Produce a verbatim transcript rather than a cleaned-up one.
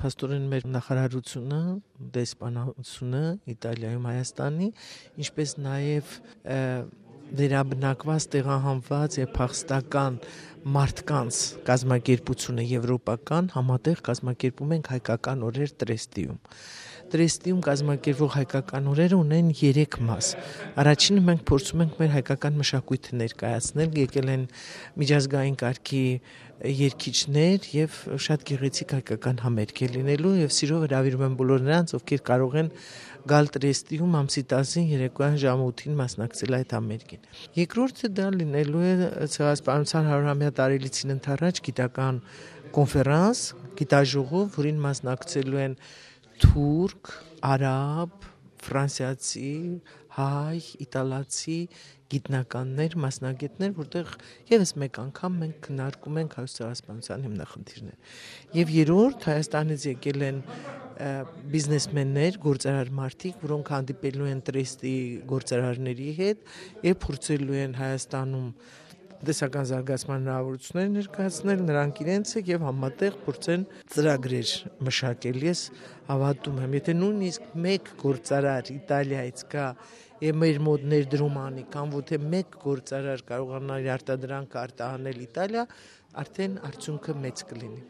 փաստորեն մեր նախարարությունը, դեսպանությունը Իտալիայում Հայաստանի, ինչպես նաև, ը, վերաբնակված, տեղահանված եւ փախստական մարդկանց կազմակերպությունը եվրոպական, համատեղ կազմակերպում ենք հայկական օրեր Տրեստիում։ Տրեստիում կազմակերպող հայկական օրերը ունեն երեք մաս։ Առաջինը մենք փորձում ենք մեր հայկական մշակոյթը ներկայացնել, եկել են միջազգային կարգի երգիչներ եւ շատ գեղեցիկ հայկական համերգ է լինելու, եւ սիրով հրավիրում եմ բոլոր նրանց, ովքեր կարող են գալ Տրեստիում ամսի տասին երեկոյան ժամը ութին մասնակցել այդ համերգին։ Երկրորդը դա լինելու է Ցեղասպանության հարիւրամեա տարելիցին ընդառաջ գիտական կոնֆերանս, գիտաժողով, որին մասնակցելու են թուրք, արաբ, ֆրանսիացի, հայ, իտալացի գիտնականներ, մասնագետներ, որտեղ ևս մեկ անգամ մենք քննարկում ենք հայոց ցեղասպանության հիմնախնդիրները։ Եւ երրորդ, Հայաստանից եկել են, ը, բիզնեսմեններ, գործարար մարդիկ, որոնք հանդիպելու են Տրեստի գործարարների հետ եւ փորձելու են Հայաստանում տեսական զարգացման հնարավորություններ ներկայացնել, նրանք իրենցը, եւ համատեղ փորձեն ծրագրեր մշակել։ Ես հավատում եմ, եթե նույնիսկ մեկ գործարար Իտալիայից գայ եւ մեր մոտ ներդրում անի, կամ որ թե մեկ գործարար կարողանա իր արտադրանքը արտահանել Իտալիա, արդեն արդյունքը մեծ կլինի։